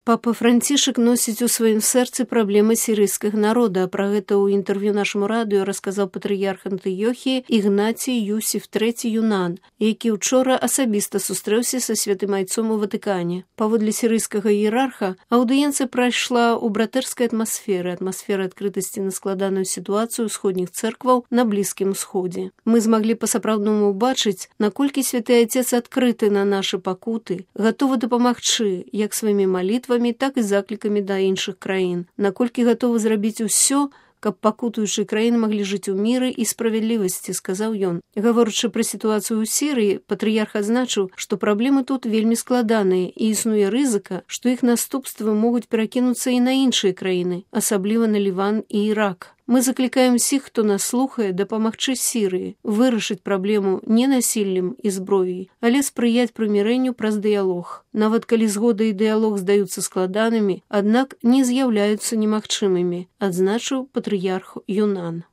Папа Францішак носіць у сваім сэрцы праблемы сірыйскага народа. Пра гэта ў інтэрв'ю нашаму радыё расказаў патрыярх Антыёхіі Ігнацій Юсіф III Юнан, які ўчора асабіста сустрэўся са святым айцом у Ватыкане. Паводле сірыйскага іерарха, аўдыенцыя прайшла ў братэрскай атмасферы адкрытасці на складаную сітуацыю ўсходніх цэркваў на Блізкім Усходзе. Мы змаглі па-сапраўднаму ўбачыць, наколькі святы айцец адкрыты на нашы пакуты, гатовы дапамагчы як сваімі малітвамі, так і заклікамі да іншых краін, наколькі гатовы зрабіць усё, каб пакутуючыя краіны маглі жыць у міры і справядлівасці, сказаў ён. Гаворачы пра сітуацыю ў Сірыі, патрыярх адзначыў, што праблемы тут вельмі складаныя і існуе рызыка, што іх наступствы могуць перакінуцца і на іншыя краіны, асабліва на Ліван і Ірак. Мы заклікаем усіх, хто нас слухае, дапамагчы Сірыі, вырашыць праблему не насіллем і зброяй, але спрыяць прымірэнню праз дыялог. Нават калі згода і дыялог здаюцца складанымі, аднак не з'яўляюцца немагчымымі, адзначыў патрыярх Юнан.